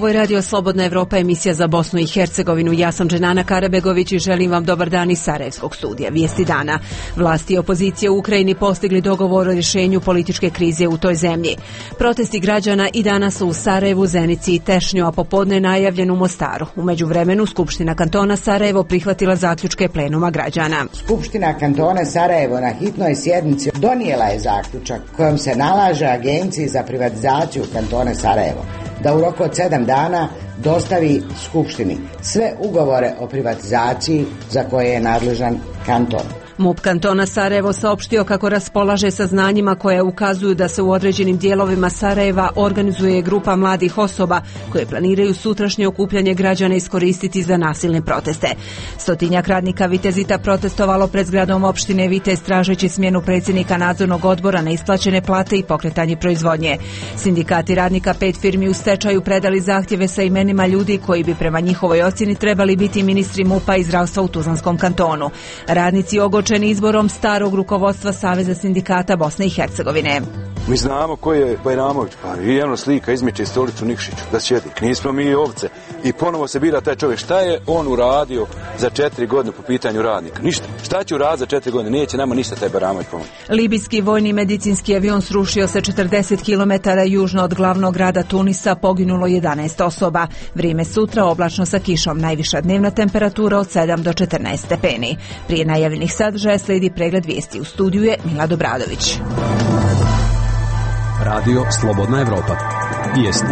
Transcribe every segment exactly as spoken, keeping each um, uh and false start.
Ovo je Radio Slobodna Evropa, emisija za Bosnu i Hercegovinu. Ja sam Dženana Karabegović i želim vam dobar dan iz Sarajevskog studija. Vijesti dana. Vlasti i opozicija u Ukrajini postigli dogovor o rješenju političke krize u toj zemlji. Protesti građana i danas su u Sarajevu, Zenici i Tešnju, a popodne najavljen u Mostaru. U međuvremenu Skupština kantona Sarajevo prihvatila zaključke plenuma građana. Skupština kantona Sarajevo na hitnoj sjednici donijela je zaključak kojom se nalaže Agenciji za privatizaciju kantona Sarajevo da u roku od sedam dana dostavi Skupštini sve ugovore o privatizaciji za koje je nadležan kanton. MUP kantona Sarajevo saopštio kako raspolaže saznanjima koje ukazuju da se u određenim dijelovima Sarajeva organizuje grupa mladih osoba koje planiraju sutrašnje okupljanje građana iskoristiti za nasilne proteste. Stotinjak radnika Vitezita protestovalo pred zgradom opštine Vitez tražeći smjenu predsjednika nadzornog odbora, neisplaćene plate i pokretanje proizvodnje. Sindikati radnika pet firmi u stečaju predali zahtjeve sa imenima ljudi koji bi prema njihovoj ocjeni trebali biti ministri MUP-a i zdravstva u Tuzlanskom kantonu. Radnici ogorčeni izborom starog rukovodstva Saveza sindikata Bosne i Hercegovine. Mi znamo ko je Bajramović, pa i jedno slika izmiče stolicu Nikšiću da sjedi. Nismo mi ovce. I ponovo se bira taj čovjek. Šta je on uradio za četiri godine po pitanju radnika? Ništa. Šta će uraditi za četiri godine? Neće nama ništa taj Bajramović pomoći. Libijski vojni medicinski avion srušio se četrdeset kilometara južno od glavnog grada Tunisa, poginulo jedanaest osoba. Vrijeme sutra oblačno sa kišom, najviša dnevna temperatura od sedam do četrnaest stepeni. Prije najavljenih sadržaja slijedi pregled vijesti. U studiju je Mila Dobradović. Radio Slobodna Evropa. Vijesti.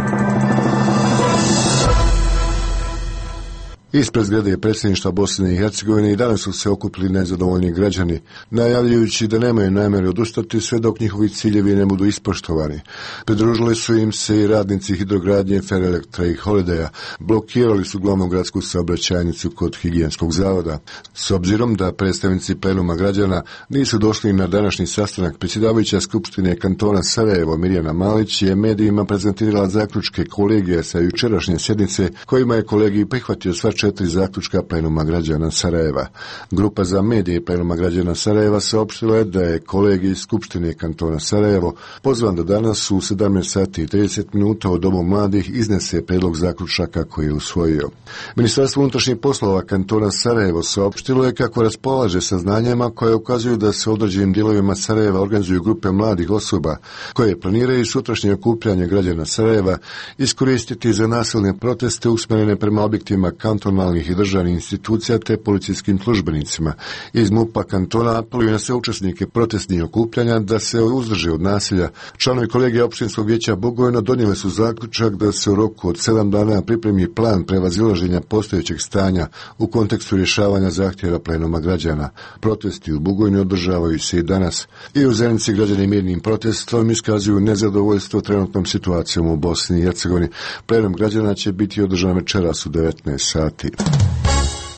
Ispred zgrade predsjedništva Bosne i Hercegovine i danas su se okupili nezadovoljni građani, najavljujući da nemaju namjeru odustati sve dok njihovi ciljevi ne budu ispoštovani. Pridružili su im se i radnici hidrogradnje Ferelektra i Holidaya, blokirali su glavnu gradsku saobraćajnicu kod higijenskog zavoda. S obzirom da predstavnici plenuma građana nisu došli na današnji sastanak, predsjedavajuća Skupštine kantona Sarajevo Mirjana Malić je medijima prezentirala zaključke kolegija sa jučerašnje sjednice, kojima je kolegij prihvatio sva četiri zaključka plenuma građana Sarajeva. Grupa za medije plenuma građana Sarajeva saopštila je da je kolegij Skupštine kantona Sarajevo pozvan da danas u sedamnaest sati i trideset minuta u Domu mladih iznese predlog zaključaka koji je usvojio. Ministarstvo unutrašnjih poslova kantona Sarajevo saopštilo je kako raspolaže saznanjima koje ukazuju da se u određenim dijelovima Sarajeva organizuju grupe mladih osoba koje planiraju sutrašnje okupljanje građana Sarajeva iskoristiti za nasilne proteste usmjerene prema objektima kantona i državnih institucija te policijskim službenicima. Iz MUP-a kantona apeluju na sve učesnike protestnih okupljanja da se uzdrže od nasilja. Članovi kolegija opštinskog vijeća Bugojno donijeli su zaključak da se u roku od sedam dana pripremi plan prevazilaženja postojećeg stanja u kontekstu rješavanja zahtjeva plenuma građana. Protesti u Bugojnu održavaju se i danas. I u Zenici građani mirnim protestom iskazuju nezadovoljstvo trenutnom situacijom u Bosni i Hercegovini. Plenum građana će biti održan večeras u devetnaest sati.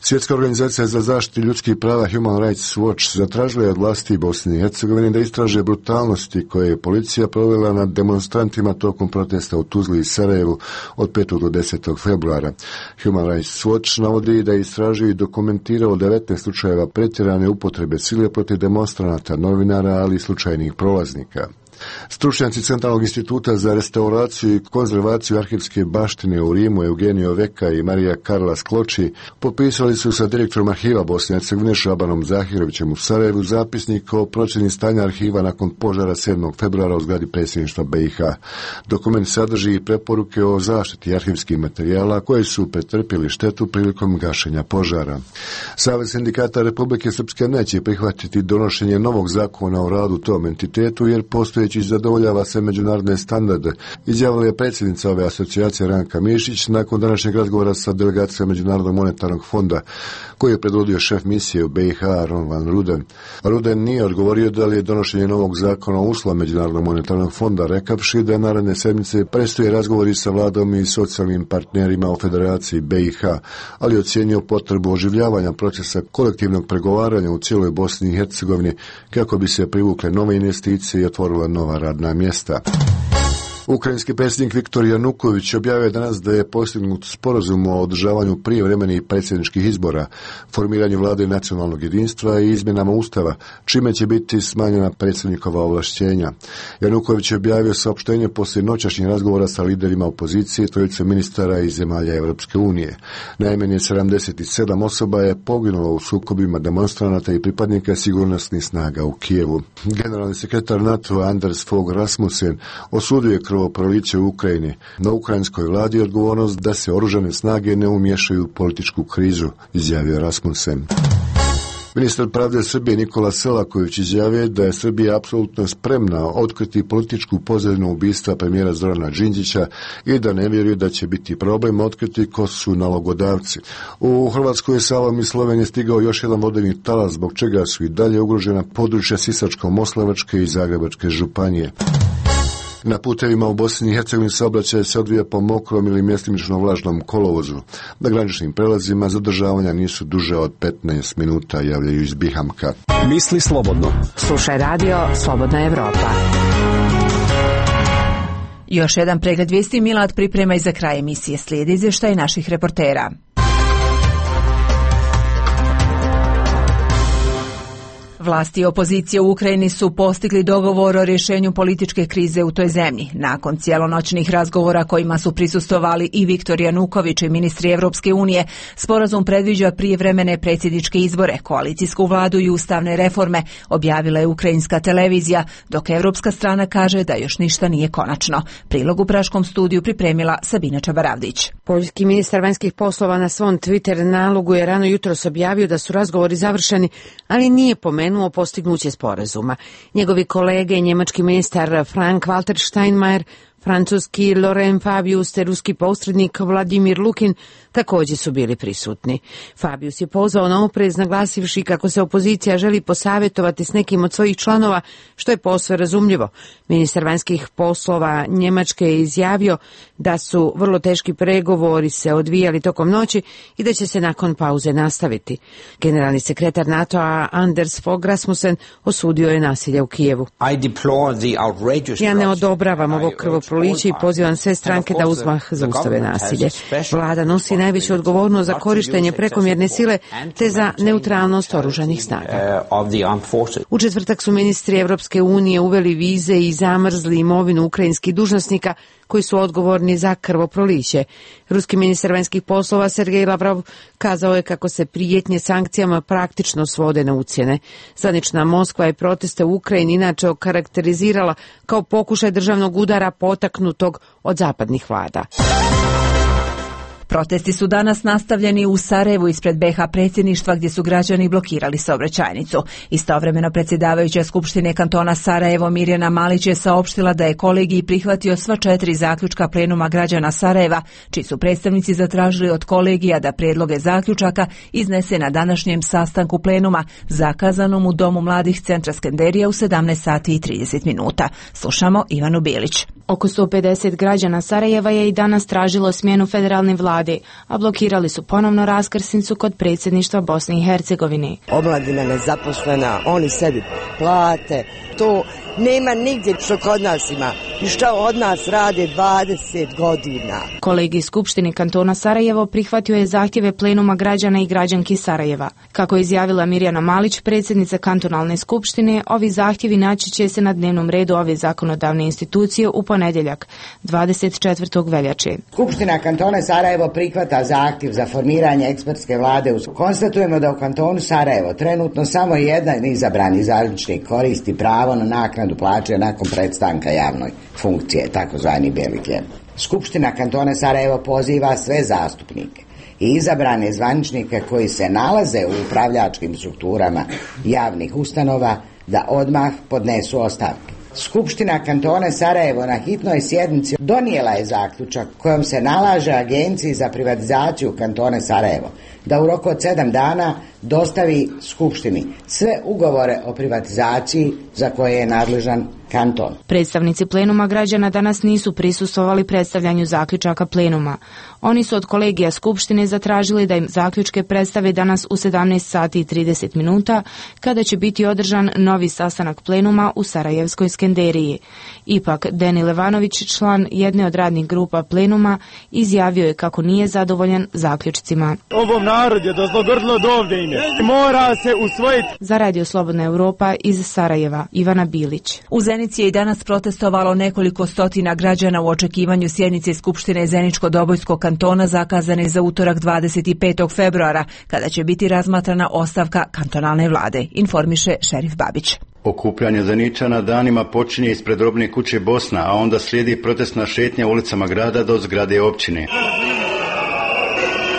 Svjetska organizacija za zaštitu ljudskih prava Human Rights Watch zatražila je od vlasti Bosne i Hercegovine da istraže brutalnosti koje je policija provela nad demonstrantima tokom protesta u Tuzli i Sarajevu od petog do desetog februara. Human Rights Watch navodi da je istražio i dokumentirao devetnaest slučajeva pretjerane upotrebe sile protiv demonstranata, novinara, ali i slučajnih prolaznika. Stručnjaci Centralnog instituta za restauraciju i konzervaciju arhivske baštine u Rimu Eugenio Veka i Marija Karla Skloči popisali su sa direktorom arhiva Bosne i Hercegovine Šabanom Zahirovićem u Sarajevu zapisnik o procjeni stanja arhiva nakon požara sedmog februara u zgradi predsjedništva B i H. Dokument sadrži i preporuke o zaštiti arhivskih materijala koji su pretrpjeli štetu prilikom gašenja požara. Savez sindikata Republike Srpske neće prihvatiti donošenje novog zakona o radu tom entitetu jer postoji zadovoljava se međunarodne standarde, izjavila je predsjednica ove asocijacije Ranka Mišić nakon današnjeg razgovora sa delegacijom Međunarodnog monetarnog fonda koji je predvodio šef misije u B i H Ron van Ruden. Ruden nije odgovorio da li je donošenje novog zakona uslov Međunarodnog monetarnog fonda, rekavši da naredne sedmice predstoje razgovori sa vladom i socijalnim partnerima u Federaciji B i H, ali ocjenio potrebu oživljavanja procesa kolektivnog pregovaranja u cijeloj Bosni i Hercegovini kako bi se privukle nove investicije i otvorila nova radna mjesta. Ukrajinski predsjednik Viktor Januković objavio je danas da je postignut sporazum o održavanju prijevremenih predsjedničkih izbora, formiranju vlade nacionalnog jedinstva i izmjenama ustava, čime će biti smanjena predsjednikova ovlašćenja. Januković je objavio saopštenje poslije noćašnjih razgovora sa liderima opozicije, trojice ministara iz zemalja Europske unije. Najmanje sedamdeset sedam osoba je poginulo u sukobima demonstranata i pripadnika sigurnosnih snaga u Kijevu. Generalni sekretar NATO Anders Fogh Rasmussen osudio je krvoproliće u Ukrajini. Na ukrajinskoj vladi je odgovornost da se oružane snage ne umiješaju u političku krizu, izjavio Rasmussen. Ministar pravde Srbije Nikola Selaković izjavio da je Srbija apsolutno spremna otkriti političku pozadinu ubistva premijera Zorana Đinđića i da ne vjeruje da će biti problem otkriti ko su nalogodavci. U Hrvatskoj je sa ovom iz Slovenije stigao još jedan vodeni talas, zbog čega su i dalje ugrožena područja Sisačko-moslavačke i Zagrebačke županije. Na putevima u Bosni i Hercegovini saobraćaj se odvija po mokrom ili mjestimično vlažnom kolovozu. Na graničnim prelazima zadržavanja nisu duže od petnaest minuta, javljaju iz Bihamka. Misli slobodno. Slušaj radio Slobodna Evropa. Još jedan pregled vijesti Milad priprema i za kraj emisije slijedi izvještaj naših reportera. Vlasti i opozicija u Ukrajini su postigli dogovor o rješenju političke krize u toj zemlji. Nakon cijelonoćnih razgovora kojima su prisustvovali i Viktor Januković i ministri Evropske unije, sporazum predviđa prijevremene predsjedničke izbore, koalicijsku vladu i ustavne reforme, objavila je ukrajinska televizija, dok evropska strana kaže da još ništa nije konačno. Prilog u Praškom studiju pripremila Sabina Čabaravdić. Poljski ministar vanjskih poslova na svom Twitter nalogu je rano jutros objavio da su razgovori završeni, ali nije pomenuo o postignuće sporazuma. Njegovi kolege, njemački ministar Frank-Walter Steinmeier, francuski Laurent Fabius te ruski posrednik Vladimir Lukin također su bili prisutni. Fabius je pozvao na oprez, naglasivši kako se opozicija želi posavjetovati s nekim od svojih članova, što je posve razumljivo. Ministar vanjskih poslova Njemačke je izjavio da su vrlo teški pregovori se odvijali tokom noći i da će se nakon pauze nastaviti. Generalni sekretar NATO-a Anders Fogh Rasmussen osudio je nasilje u Kijevu. Ja ne odobravam ovo krvoproliće i pozivam sve stranke da uzmah zaustave nasilje. Vlada nosi najveću odgovornost za korištenje prekomjerne sile te za neutralnost oružanih snaga. U četvrtak su ministri Evropske unije uveli vize i zamrzli imovinu ukrajinskih dužnosnika koji su odgovorni za krvoproliće. Ruski ministar vanjskih poslova Sergej Lavrov kazao je kako se prijetnje sankcijama praktično svode na ucjene. Zvanična Moskva je proteste u Ukrajini inače okarakterizirala kao pokušaj državnog udara potaknutog od zapadnih vlada. Protesti su danas nastavljeni u Sarajevu ispred be ha predsjedništva gdje su građani blokirali saobraćajnicu. Istovremeno predsjedavajuća Skupštine kantona Sarajevo Mirjana Malić je saopštila da je kolegij prihvatio sva četiri zaključka plenuma građana Sarajeva, čiji su predstavnici zatražili od kolegija da prijedloge zaključaka iznese na današnjem sastanku plenuma, zakazanom u Domu mladih Centra Skenderija u sedamnaest sati i trideset minuta. Slušamo Ivanu Bilić. Oko sto pedeset građana Sarajeva je i danas tražilo smjenu federalne vlade, a blokirali su ponovno raskrsnicu kod predsjedništva Bosne i Hercegovine. Omladina nezaposlena, oni sebi plate, to nema nigdje što kod nas ima i što od nas rade dvadeset godina. Kolegij Skupštine kantona Sarajevo prihvatio je zahtjeve plenuma građana i građanki Sarajeva. Kako je izjavila Mirjana Malić, predsjednica kantonalne skupštine, ovi zahtjevi naći će se na dnevnom redu ove zakonodavne institucije u ponedjeljak, dvadeset četvrtog veljače. Skupština kantona Sarajevo prihvata zahtjev za formiranje ekspertske vlade. Konstatujemo da u kantonu Sarajevo trenutno samo jedan izabrani zvaničnik koristi pravo na naknadu plaće nakon prestanka javnoj funkcije, takozvani bijeli hljeb. Skupština kantona Sarajevo poziva sve zastupnike i izabrane zvaničnike koji se nalaze u upravljačkim strukturama javnih ustanova da odmah podnesu ostavke. Skupština kantona Sarajevo na hitnoj sjednici donijela je zaključak kojom se nalaže Agenciji za privatizaciju kantona Sarajevo da u roku od sedam dana dostavi Skupštini sve ugovore o privatizaciji za koje je nadležan kanton. Predstavnici plenuma građana danas nisu prisustvovali predstavljanju zaključaka plenuma. Oni su od kolegija Skupštine zatražili da im zaključke predstave danas u sedamnaest sati i trideset minuta, kada će biti održan novi sastanak plenuma u Sarajevskoj Skenderiji. Ipak, Deni Levanović, član jedne od radnih grupa plenuma, izjavio je kako nije zadovoljan zaključcima. Ovom narod je dozlogrdlo dovde ime. Mora se usvojiti. Za Radio Slobodna Europa iz Sarajeva, Ivana Bilić. U Zenici je i danas protestovalo nekoliko stotina građana u očekivanju sjednice Skupštine Zeničko-Dobojskog kantona zakazane za utorak dvadeset petog februara, kada će biti razmatrana ostavka kantonalne vlade, informiše Šerif Babić. Okupljanje Zeničana danima počinje ispred robne kuće Bosna, a onda slijedi protestna šetnja ulicama grada do zgrade općine.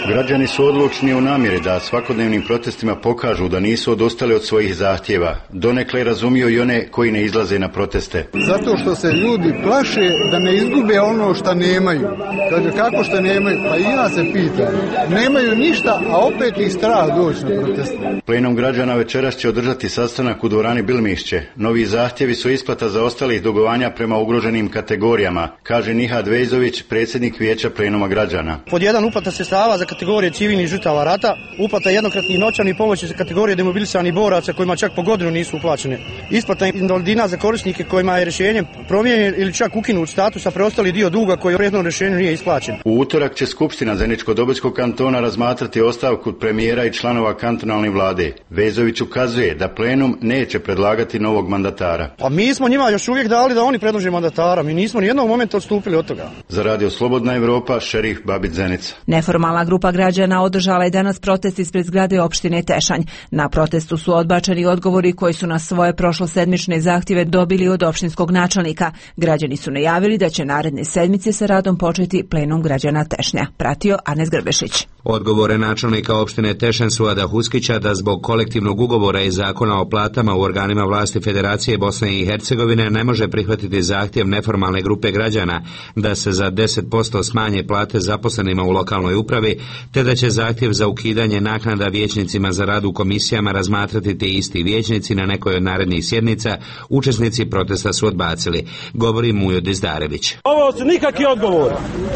Građani su odlučni u namjeri da svakodnevnim protestima pokažu da nisu odustali od svojih zahtjeva. Donekle razumiju i one koji ne izlaze na proteste. Zato što se ljudi plaše da ne izgube ono što nemaju. Kaže, kako što nemaju? Pa i ja se pitam. Nemaju ništa, a opet ih strah doći na proteste. Plenum građana večeras će održati sastanak u dvorani Bilmišće. Novi zahtjevi su isplata zaostalih dugovanja prema ugroženim kategorijama, kaže Nihad Vejzović, predsjednik Vijeća plenuma građana. Pod jedan uplata sredstava za kategorije civilnih žrtava rata, uplata jednokratnih novčanih pomoći za kategorije demobilisanih boraca kojima čak po godinu nisu uplaćene, isplata invalidina za korisnike kojima je rješenje promijenjen ili čak ukinut status, a preostali dio duga koji u prethodnom rješenju nije isplaćen. U utorak će Skupština Zeničko-Dobojskog kantona razmatrati ostavku premijera i članova kantonalne vlade. Vezović ukazuje da plenum neće predlagati novog mandatara. Pa mi smo njima još uvijek dali da oni predlože mandatara, mi nismo ni jednog momenta odstupili od toga. Za Radio Slobodna Europa, Šerif Babić, Zenica. Neformalna grupa građana održala je danas protest ispred zgrade opštine Tešanj. Na protestu su odbačeni odgovori koji su na svoje prošlosedmične zahtjeve dobili od opštinskog načelnika. Građani su najavili da će naredne sedmice sa radom početi plenum građana Tešnja. Pratio Arnes Grbešić. Odgovore načelnika opštine Tešanj Suada Huskića da zbog kolektivnog ugovora i zakona o platama u organima vlasti Federacije Bosne i Hercegovine ne može prihvatiti zahtjev neformalne grupe građana da se za deset posto smanje plate zaposlenima u lokalnoj upravi, te da će zahtjev za ukidanje naknada vijećnicima za rad u komisijama razmatrati ti isti vijećnici na nekoj od narednih sjednica. Učesnici protesta su odbacili. Govori Mujo Dizdarević. Ovo su nikakvi odgovori.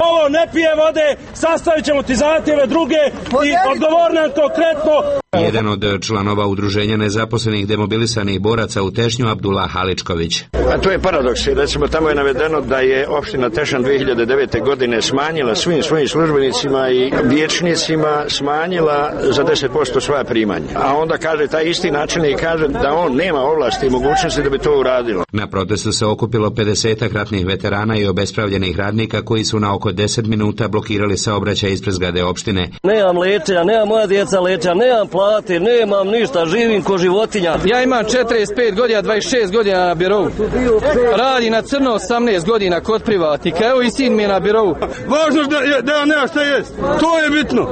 Ovo ne pije vode, sastavit ćemo ti zahtjeve druge i odgovor nam konkretno. Jedan od članova udruženja nezaposlenih demobilisanih boraca u Tešnju, Abdullah Haličković. A to je paradoks. Recimo, tamo je navedeno da je opština Tešanj dvije hiljade devete. godine smanjila svim svojim službenicima i vijećnicima smanjila za deset posto svoja primanja. A onda kaže, taj isti načelnik kaže da on nema ovlasti i mogućnosti da bi to uradilo. Na protestu se okupilo pedesetak ratnih veterana i obespravljenih radnika koji su na oko deset minuta blokirali saobraćaj ispred zgrade opštine. Nemam lečenja, nemam moja djeca lečenja, nemam plate, nemam ništa, živim ko životinja. Ja imam četrdeset pet godina, dvadeset šest godina na birovu. Radi na crno osamnaest godina kod privatnika. Evo i sin mi je na birovu. Važno da, da nema šta jest. To je bitno.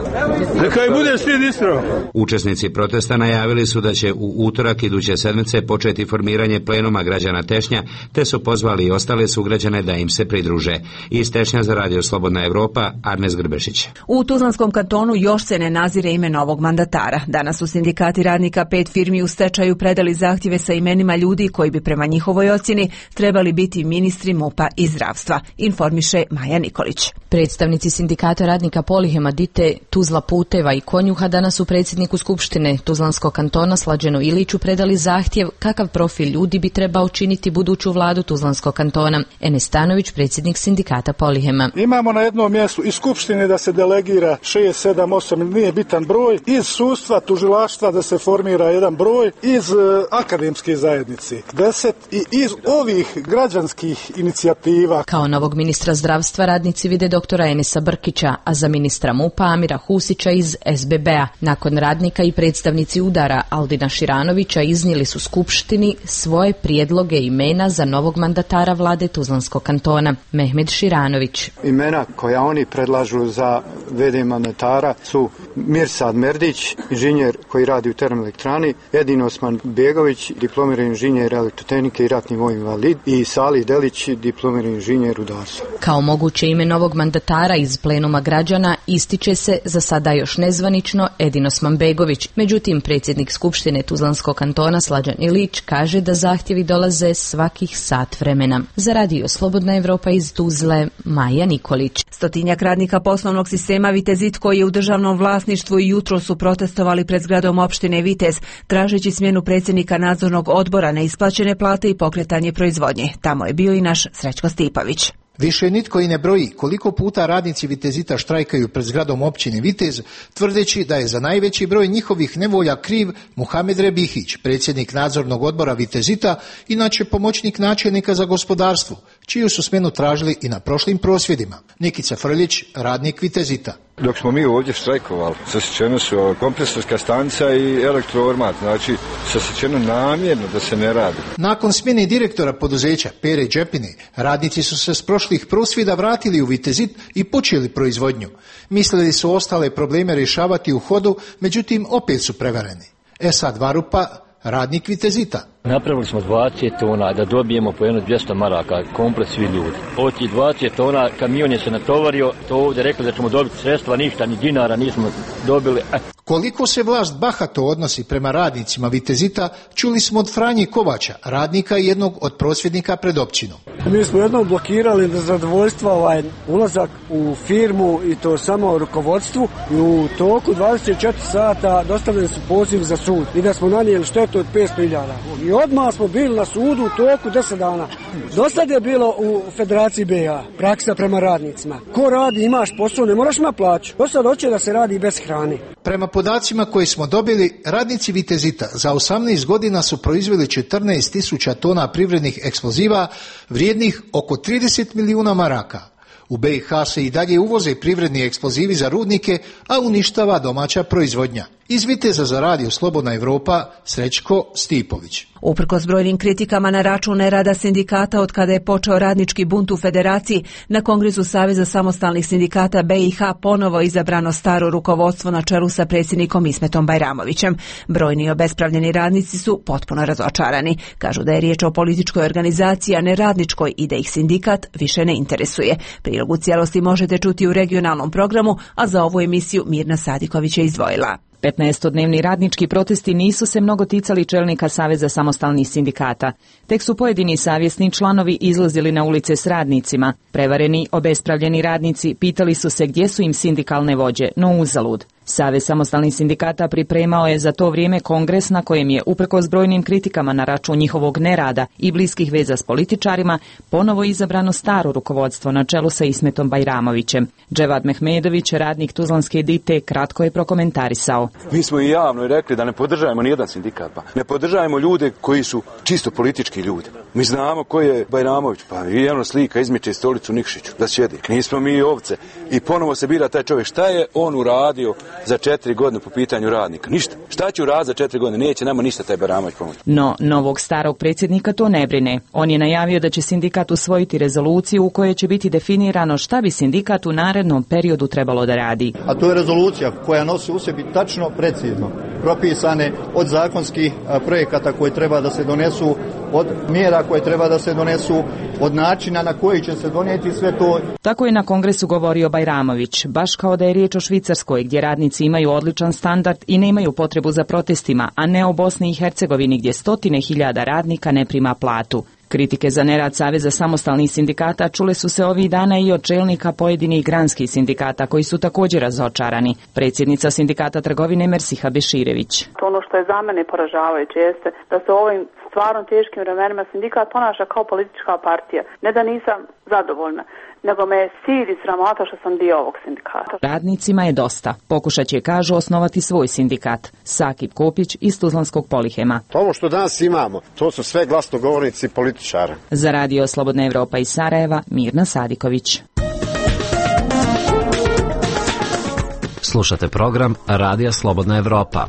Neka i bude svi ispravo. Učesnici protesta najavili su da će u utorak iduće sedmice početi formiranje plenuma građana Tešnja, te su pozvali i ostale sugrađane da im se pridruže. Iz Tešnja za Radio Slobodna Europa, Arnes Grbešić. U Tuzlanskom kantonu još se ne nazire ime novog mandatara. Danas su sindikati radnika pet firmi u stečaju predali zahtjeve sa imenima ljudi koji bi prema njihovoj ocjeni trebali biti ministri MUP-a i zdravstva, informiše Maja Nikolić. Predstavnici sindikata radnika Polihema, Dite, Tuzla Puteva i Konjuha danas su predsjedniku Skupštine Tuzlanskog kantona Slađenu Iliću predali zahtjev kakav profil ljudi bi trebao činiti buduću vladu Tuzlanskog kantona. Enes Stanović, predsjednik sindikata Polihema. Imamo na jednom mjestu iz Skupštine da se delegira šest, sedam, osam, nije bitan broj, iz sudstva, tužilaštva da se formira jedan broj, iz uh, akademske zajednice deset i iz ovih građanskih inicijativa. Kao novog ministra zdravstva radnici vide doktora Enesa Brkića, a za ministra MUP-a Amira Husića iz S B B-a. Nakon radnika i predstavnici udara Aldina Širanovića iznijeli su Skupštini svoje prijedloge imena za novog mandatara vlade Tuzlanskog kantona. Mehmed Širanović. Imena koja oni predlažu za v d mandatara mandatara su Mirsad Merdić, inženjer koji radi u termoelektrani, Edin Osman Begović, diplomirani inženjer elektrotehnike i ratni vojni invalid, i Salih Delić, diplomirani inženjer rudarstva. Kao moguće ime novog mandatara iz plenuma građana ističe se za sada još nezvanično Edin Osman Begović. Međutim, predsjednik Skupštine Tuzlanskog kantona Slađan Ilić kaže da zahtjevi dolaze svakih sat vremena. Za radio Slobodna Evropa iz Tuzle, Maja Nikolić. Stotinjak radnika poslovnog sistema Vitezit koji je u državnom vlasništvu i jutro su protestovali pred zgradom opštine Vitez, tražeći smjenu predsjednika nadzornog odbora, neisplaćene plate i pokretanje proizvodnje. Tamo je bio i naš Srećko Stipović. Više nitko i ne broji koliko puta radnici Vitezita štrajkaju pred zgradom općine Vitez, tvrdeći da je za najveći broj njihovih nevolja kriv Muhamed Rebihić, predsjednik nadzornog odbora Vitezita, inače pomoćnik načelnika za gospodarstvo, čiju su smjenu tražili i na prošlim prosvjedima. Nikica Frljić, radnik Vitezita. Dok smo mi ovdje štrajkovali, sasječeno su kompresorska stanica i elektroormat, znači sasječeno namjerno da se ne radi. Nakon smjene direktora poduzeća Pere Đepine, radnici su se s prošlih prosvjeda vratili u Vitezit i počeli proizvodnju. Mislili su ostale probleme rješavati u hodu, međutim opet su prevareni. Esad Varupa, radnik Vitezita. Napravili smo dvadeset tona da dobijemo po jedno dvjesto maraka, komplet svi ljudi. Od tih dvadeset tona kamion je se natovario, to ovdje rekli da ćemo dobiti sredstva, ništa, ni dinara nismo dobili. Koliko se vlast bahato odnosi prema radnicima Vitezita, čuli smo od Franje Kovača, radnika i jednog od prosvjednika pred općinom. Mi smo jednom blokirali da zadovoljstva ovaj ulazak u firmu i to samo rukovodstvu i u toku dvadeset četiri sata dostavljeni su poziv za sud i da smo nanijeli štetu od petsto hiljada. I odmah smo bili na sudu u toku deset dana. Do sad je bilo u Federaciji B iH praksa prema radnicima. Ko radi, imaš posao, ne moraš ima plaću. Do sad hoće da se radi bez hrane. Prema podacima koje smo dobili, radnici Vitezita za osamnaest godina su proizveli četrnaest tisuća tona privrednih eksploziva vrijednih oko trideset milijuna maraka. U B iH se i dalje uvoze privredni eksplozivi za rudnike, a uništava domaća proizvodnja. Iz Viteza za radio Slobodna Evropa, Srećko Stipović. Uprkos brojnim kritikama na račun nerada sindikata od kada je počeo radnički bunt u Federaciji, na Kongresu Saveza samostalnih sindikata B iH ponovo izabrano staro rukovodstvo na čelu sa predsjednikom Ismetom Bajramovićem. Brojni obespravljeni radnici su potpuno razočarani. Kažu da je riječ o političkoj organizaciji, a ne radničkoj, i da ih sindikat više ne interesuje. Prilog u cijelosti možete čuti u regionalnom programu, a za ovu emisiju Mirna Sadiković je izdvojila. petnaestodnevni radnički protesti nisu se mnogo ticali čelnika Saveza samostalnih sindikata. Tek su pojedini savjesni članovi izlazili na ulice s radnicima. Prevareni, obespravljeni radnici pitali su se gdje su im sindikalne vođe, no uzalud. Savez samostalnih sindikata pripremao je za to vrijeme kongres na kojem je, uprkos brojnim kritikama na račun njihovog nerada i bliskih veza s političarima, ponovo izabrano staro rukovodstvo na čelu sa Ismetom Bajramovićem. Dževad Mehmedović, radnik Tuzlanske Dite, kratko je prokomentarisao. Mi smo i javno rekli da ne podržajemo nijedan sindikat, pa ne podržajemo ljude koji su čisto politički ljudi. Mi znamo ko je Bajramović, pa jedno slika izmiče stolicu Nikšiću da sjedi. Nismo mi ovce. I ponovo se bira taj čovjek. Šta je on uradio za četiri godine po pitanju radnika? Ništa. Šta će uraditi za četiri godine? Neće nama ništa taj Bajramović pomoći. No, novog starog predsjednika to ne brine. On je najavio da će sindikat usvojiti rezoluciju u kojoj će biti definirano šta bi sindikat u narednom periodu trebalo da radi. A to je rezolucija koja nosi u sebi tačno, precizno propisane od zakonskih projekata koji treba da se donesu, od mjera koje treba da se donesu, od načina na koji će se donijeti sve to. Tako je na kongresu govorio Bajramović, baš kao da je riječ o Švicarskoj, gdje radnici imaju odličan standard i nemaju potrebu za protestima, a ne o Bosni i Hercegovini gdje stotine hiljada radnika ne prima platu. Kritike za nerad Saveza samostalnih sindikata čule su se ovih dana i od čelnika pojedinih granskih sindikata koji su također razočarani. Predsjednica sindikata trgovine Mersiha Beširević. Ono što je za mene poražavajuće jeste da se u ovim stvarno teškim vremenima sindikat ponaša kao politička partija. Ne da nisam zadovoljna, nego me je stid i sramota što sam dio ovog sindikata. Radnicima je dosta. Pokušat će, kažu, osnovati svoj sindikat. Sakip Kopić iz Tuzlanskog Polihema. Ovo što danas imamo, to su sve glasnogovornici političara. Za radio Slobodna Evropa iz Sarajeva, Mirna Sadiković. Slušate program Radija Slobodna Evropa.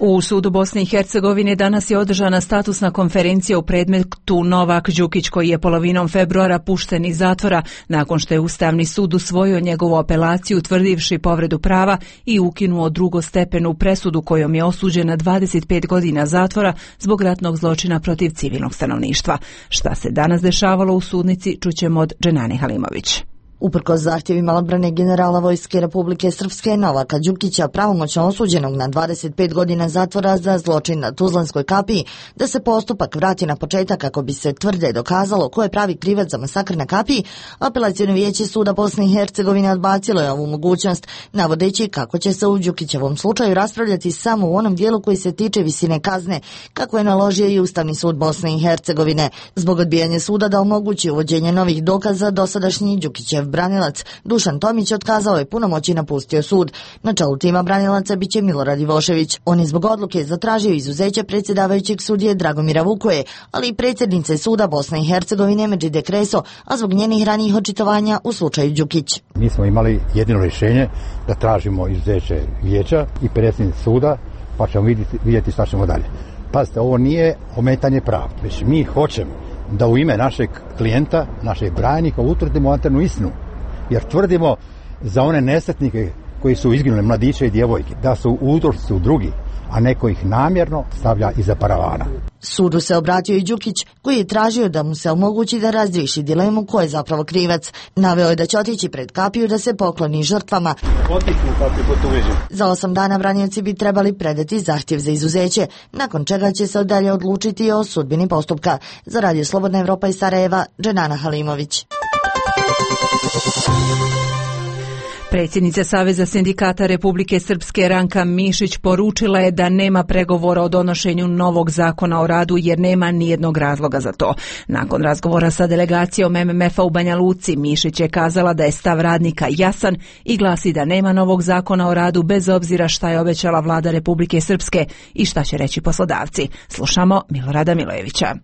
U sudu Bosne i Hercegovine danas je održana statusna konferencija u predmetu Novak Đukić, koji je polovinom februara pušten iz zatvora nakon što je Ustavni sud usvojio njegovu apelaciju utvrdivši povredu prava i ukinuo drugostepenu presudu kojom je osuđen na dvadeset pet godina zatvora zbog ratnog zločina protiv civilnog stanovništva. Šta se danas dešavalo u sudnici čućemo od Dženane Halimović. Uprkos zahtjevima odbrane generala Vojske Republike Srpske Novaka Đukića, pravomoćno osuđenog na dvadeset pet godina zatvora za zločin na Tuzlanskoj kapiji, da se postupak vrati na početak kako bi se tvrde dokazalo ko je pravi krivac za masakr na kapiji, Apelaciono vijeće suda Bosne i Hercegovine odbacilo je ovu mogućnost, navodeći kako će se u Đukićevom slučaju raspravljati samo u onom dijelu koji se tiče visine kazne, kako je naložio i Ustavni sud Bosne i Hercegovine. Zbog odbijanja suda da omogući uvođenje novih dokaza, dosadašnji Đukićev branilac Dušan Tomić otkazao je punomoć i napustio sud. Na čelu tima branilaca biće Milorad Ivošević. On je zbog odluke zatražio izuzeće predsjedavajućeg sudije Dragomira Vukoje, ali i predsjednice suda Bosne i Hercegovine Medžide Kreso, a zbog njenih ranijih očitovanja u slučaju Đukić. Mi smo imali jedino rješenje da tražimo izuzeće vijeća i predsjednice suda, pa ćemo vidjeti, vidjeti šta ćemo dalje. Pazite, ovo nije ometanje prava, već mi hoćemo da u ime našeg klijenta, našeg branjenika utvrdimo anternu istinu. Jer tvrdimo za one nesretnike koji su izginuli, mladiće i djevojke, da su uzročnici u drugi, a neko ih namjerno stavlja iza paravana. Sudu se obratio i Đukić, koji je tražio da mu se omogući da razriješi dilemu ko je zapravo krivac. Naveo je da će otići pred kapiju da se pokloni žrtvama. Za osam dana branioci bi trebali predati zahtjev za izuzeće, nakon čega će se dalje odlučiti o sudbini postupka. Za Radio Slobodna Evropa iz Sarajeva, Dženana Halimović. Predsjednica Saveza sindikata Republike Srpske Ranka Mišić poručila je da nema pregovora o donošenju novog zakona o radu jer nema nijednog razloga za to. Nakon razgovora sa delegacijom em em ef-a u Banja Luci, Mišić je kazala da je stav radnika jasan i glasi da nema novog zakona o radu bez obzira šta je obećala vlada Republike Srpske i šta će reći poslodavci. Slušamo Milorada Milojevića.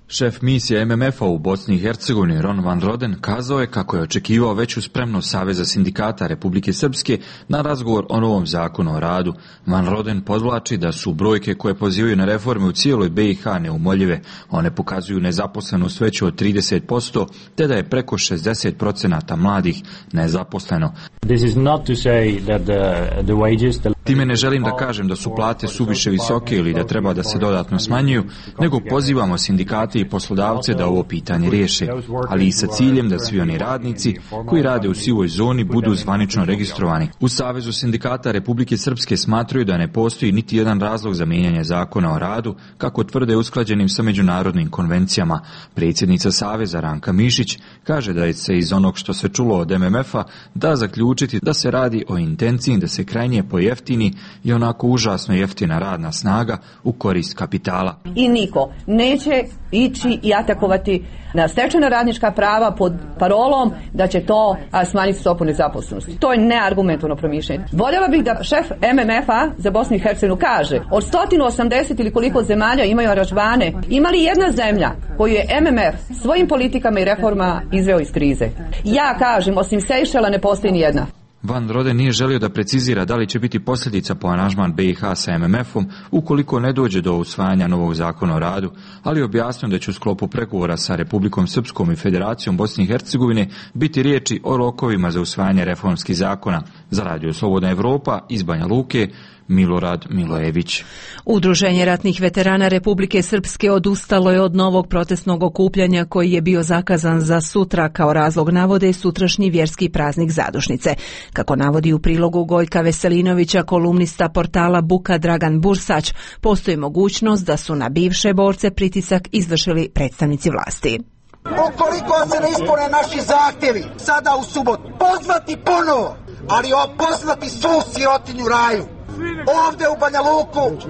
Šef misije em em ef-a u Bosni i Hercegovini Ron Van Roden kazao je kako je očekivao veću spremnost Saveza sindikata Republike Srpske na razgovor o novom zakonu o radu. Van Roden podvlači da su brojke koje pozivaju na reforme u cijeloj be i ha neumoljive. One pokazuju nezaposlenost veću od trideset posto, te da je preko šezdeset posto mladih nezaposleno. This is not to say that the, the wages, the... Time ne želim da kažem da su plate suviše visoke ili da treba da se dodatno smanjuju, nego pozivamo sindikate i poslodavce da ovo pitanje riješe, ali i sa ciljem da svi oni radnici koji rade u sivoj zoni budu zvanično registrovani. U Savezu sindikata Republike Srpske smatraju da ne postoji niti jedan razlog za mijenjanje zakona o radu, kako tvrde usklađenim sa međunarodnim konvencijama. Predsjednica Saveza Ranka Mišić kaže da je se iz onog što se čulo od em em ef-a da zaključiti da se radi o intenciji da se krajnje pojeftini i onako užasno jeftina radna snaga u korist kapitala. I niko neće ići i atakovati na stečena radnička prava pod parolom da će to a, smanjiti stopu nezaposlenosti. To je neargumentovno promišljanje. Voljela bih da šef em em ef-a za Bosnu i Hercegovinu kaže od sto osamdeset ili koliko zemalja imaju aranžmane, ima li jedna zemlja koju je em em ef svojim politikama i reformama izveo iz krize? Ja kažem, osim Sejšela ne postoji ni jedna. Van Roden nije želio da precizira da li će biti posljedica po aranžman be i ha sa em em ef-om ukoliko ne dođe do usvajanja novog zakona o radu, ali objasnio da će u sklopu pregovora sa Republikom Srpskom i Federacijom Bosne i Hercegovine biti riječi o rokovima za usvajanje reformskih zakona. Za Radio Slobodna Evropa iz Banja Luke, Milorad Milojević. Udruženje ratnih veterana Republike Srpske odustalo je od novog protestnog okupljanja koji je bio zakazan za sutra, kao razlog navode sutrašnji vjerski praznik zadušnice. Kako navodi u prilogu Gojka Veselinovića, kolumnista portala Buka Dragan Bursać, postoji mogućnost da su na bivše borce pritisak izvršili predstavnici vlasti. Ukoliko se ne ispune naši zahtjevi, sada u subotu, pozvati ponovo, ali pozvati svu sirotinju raju. Ovdje u Banja Luku,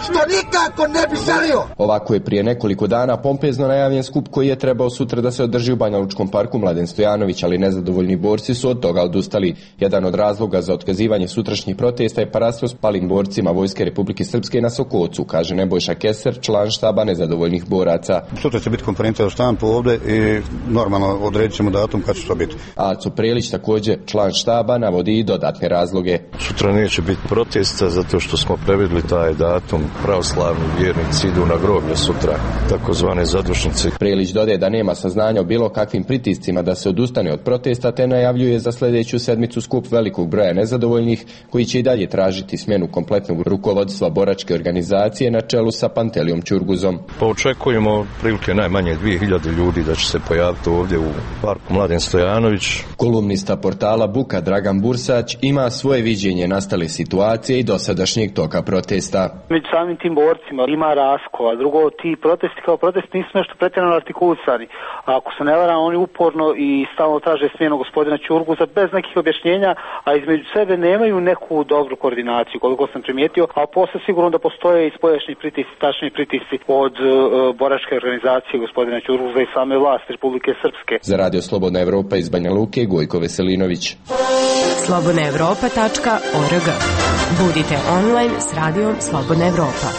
što nikako ne bi želio. Ovako je prije nekoliko dana pompezno najavljen skup koji je trebao sutra da se održi u Banja Lučkom parku Mladen Stojanović, ali nezadovoljni borci su od toga odustali. Jedan od razloga za otkazivanje sutrašnjih protesta je parastvo s palim borcima Vojske Republike Srpske na Sokocu, kaže Nebojša Keser, član štaba nezadovoljnih boraca. Sutra će biti konferencija za štampu ovdje i normalno odredit ćemo datum kad će to biti. Aco Prelić, također član štaba, navodi i dodatne razloge. Sutra neće biti protest mjeseca zato što smo previdli taj datum. Pravoslavni vjernici idu na groblje sutra, takozvane zadušnice. Prelić dodaje da nema saznanja o bilo kakvim pritiscima da se odustane od protesta, te najavljuje za sljedeću sedmicu skup velikog broja nezadovoljnih koji će i dalje tražiti smjenu kompletnog rukovodstva boračke organizacije na čelu sa Pantelijom Ćurguzom. Pa očekujemo prilike najmanje dvije hiljade ljudi da će se pojaviti ovdje u parku Mladen Stojanović. Kolumnista portala Buka Dragan Bursać ima svoje viđenje nastale situacije i dosadašnjeg toka protesta. Među samim tim borcima ima raskova. Drugo, ti protesti kao protesti nisu nešto pretjerano artikulisani. A ako se ne varam, oni uporno i stalno traže smjenu gospodina Ćurguza bez nekih objašnjenja, a između sebe nemaju neku dobru koordinaciju, koliko sam primijetio, a posle sigurno da postoje i spoljašnji pritisci, tačni pritisci od uh, boračke organizacije gospodina Ćurguza i same vlasti Republike Srpske. Za Radio Slobodna Evropa iz Banja Luke, Gojko Veselinović. slobodna evropa tačka org. Budite online s radijom Slobodna Evropa.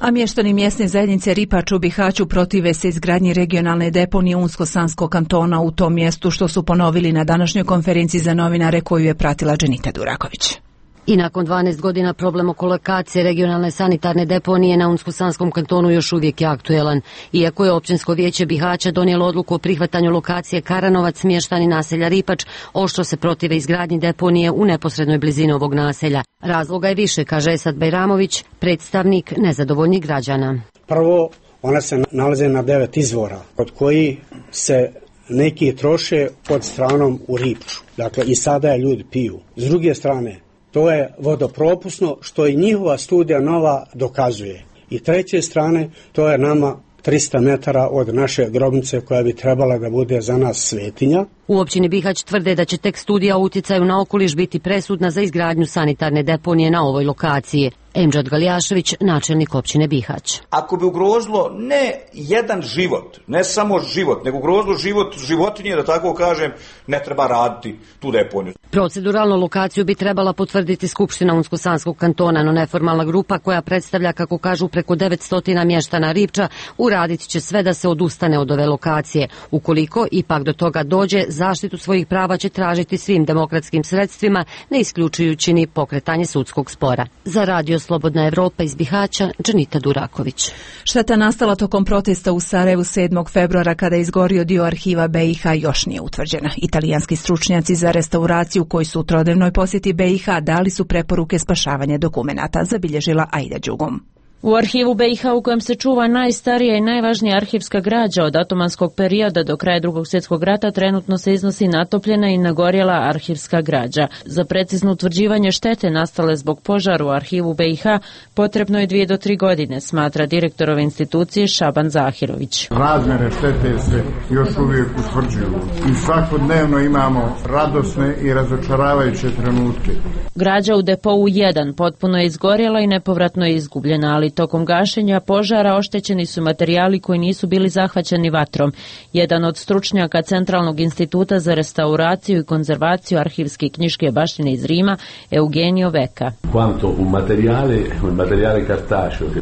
A mještani mjesne zajednice Ripač u Bihaću protive se izgradnji regionalne deponije Unsko-Sanskog kantona u tom mjestu, što su ponovili na današnjoj konferenciji za novinare koju je pratila Dženita Duraković. I nakon dvanaest godina problem oko lokacije regionalne sanitarne deponije na Unsko-Sanskom kantonu još uvijek je aktuelan. Iako je općinsko vijeće Bihaća donijelo odluku o prihvatanju lokacije Karanovac, mještani naselja Ripač oštro se protive izgradnji deponije u neposrednoj blizini ovog naselja. Razloga je više, kaže Esad Bajramović, predstavnik nezadovoljnih građana. Prvo, ona se nalaze na devet izvora, od koji se neki troše pod stranom u Ripču. Dakle, i sada je ljudi piju. S druge strane, to je vodopropusno, što i njihova studija nova dokazuje. I treće strane, to je nama trista metara od naše grobnice koja bi trebala da bude za nas svetinja. U općini Bihać tvrde da će tek studija o utjecaju na okoliš biti presudna za izgradnju sanitarne deponije na ovoj lokaciji. Emdžad Galjašević, načelnik općine Bihać. Ako bi ugrozilo ne jedan život, ne samo život, nego ugrozilo život životinje, da tako kažem, ne treba raditi tu deponiju. Proceduralnu lokaciju bi trebala potvrditi Skupština Unsko-Sanskog kantona, no neformalna grupa koja predstavlja, kako kažu, preko devetsto mještana Ripča, uradit će sve da se odustane od ove lokacije. Ukoliko ipak do toga dođe, zaštitu svojih prava će tražiti svim demokratskim sredstvima, ne isključujući ni pokretanje sudskog spora. Za Radio Slobodna Evropa iz Bihaća, Dženita Duraković. Šteta nastala tokom protesta u Sarajevu sedmog februara kada je izgorio dio arhiva be i ha još nije utvrđena. Italijanski stručnjaci za restauraciju koji su u trodnevnoj posjeti be i ha dali su preporuke spašavanja dokumenata, zabilježila Aida Đugum. U arhivu be i ha, u kojem se čuva najstarija i najvažnija arhivska građa od otomanskog perioda do kraja Drugog svjetskog rata, trenutno se iznosi natopljena i nagorjela arhivska građa. Za precizno utvrđivanje štete nastale zbog požara u arhivu be i ha potrebno je dvije do tri godine, smatra direktor ove institucije Šaban Zahirović. Razmjere štete se još uvijek utvrđuju i svakodnevno imamo radosne i razočaravajuće trenutke. Građa u depou jedan potpuno je izgorjela i nepovratno je izgubljena, ali tokom gašenja požara oštećeni su materijali koji nisu bili zahvaćeni vatrom. Jedan od stručnjaka Centralnog instituta za restauraciju i konzervaciju arhivske i knjiške baštine iz Rima, Eugenio Veka.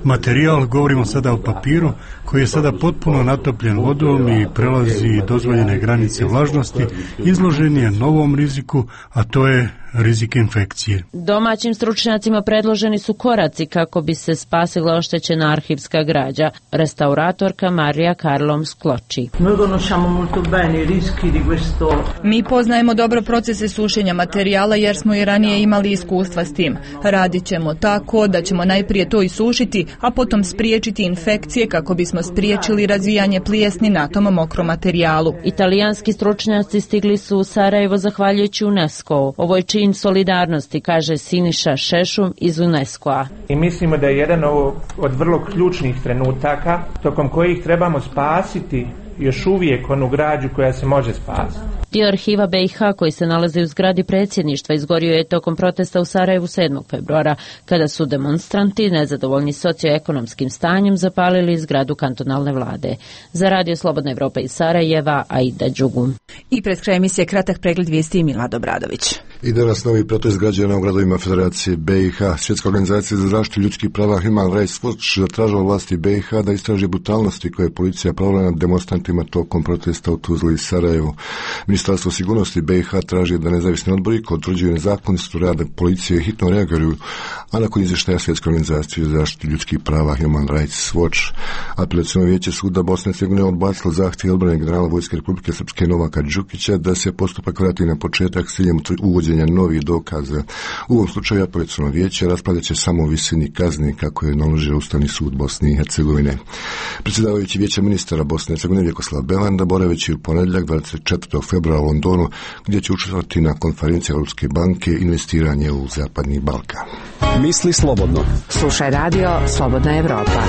Materijal, govorimo sada o papiru, koji je sada potpuno natopljen vodom i prelazi dozvoljene granice vlažnosti, izložen je novom riziku, a to je rizik infekcije. Domaćim stručnjacima predloženi su koraci kako bi se spasila oštećena arhivska građa. Restauratorka Marija Karlom Skloči. Mi poznajemo dobro procese sušenja materijala jer smo i ranije imali iskustva s tim. Radit ćemo tako da ćemo najprije to isušiti, a potom spriječiti infekcije kako bismo spriječili razvijanje plijesni na tom mokrom materijalu. Italijanski stručnjaci stigli su u Sarajevo zahvaljujući UNESCO. Ovo je čin solidarnosti, kaže Siniša Šešum iz UNESCO-a. I mislimo da je jedan od vrlo ključnih trenutaka tokom kojih trebamo spasiti još uvijek onu građu koja se može spasiti. Dio arhiva be i ha koji se nalazi u zgradi predsjedništva izgorio je tokom protesta u Sarajevu sedmog februara, kada su demonstranti nezadovoljni socioekonomskim stanjem zapalili zgradu kantonalne vlade. Za Radio Slobodna Evropa iz Sarajeva, Aida Đugum. I pred kraj emisije kratak pregled vijesti Milad Obradović. I danas novi protest građana u gradovima Federacije B i H. Svjetska organizacija za zaštitu ljudskih prava Human Rights Watch zatražila vlasti B i H da istraži brutalnosti koje je policija provela nad demonstrantima tokom protesta u Tuzli i Sarajevu. Ministarstvo sigurnosti B i H traži da nezavisni odbori koji utvrđuju nezakonitost rada policije hitno reaguju, a nakon izvještaja Svjetske organizacije za zaštitu ljudskih prava Human Rights Watch. Apelaciono vijeće suda Bosne i Hercegovine odbacilo zahtjev odbrane generala Vojske Republike Srpske Novaka Đukića da se postupak vrati na početak s ciljem uvođenja novih dokaza. U ovom slučaju apelaciono vijeće raspravljat će samo o visini kazni kako je naložio Ustavni sud Bosne i Hercegovine. Predsjedavajući vijeća ministara Bosne i Hercegovine Vjekoslav Belanda boraveći u ponedjeljak dvadeset četvrtog februara u Londonu, gdje će učestvovati na konferenciji Europske banke investiranje u Zapadni Balkan. Misli slobodno. Slušaj radio Slobodna Evropa.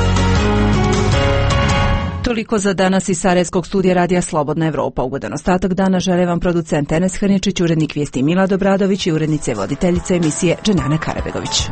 Toliko za danas iz Sarajevskog studija radija Slobodna Evropa. Ugodan ostatak dana žele vam producent Enes Hrničić, urednik vijesti Milad Obradović i urednice voditeljice emisije Dženana Karabegović.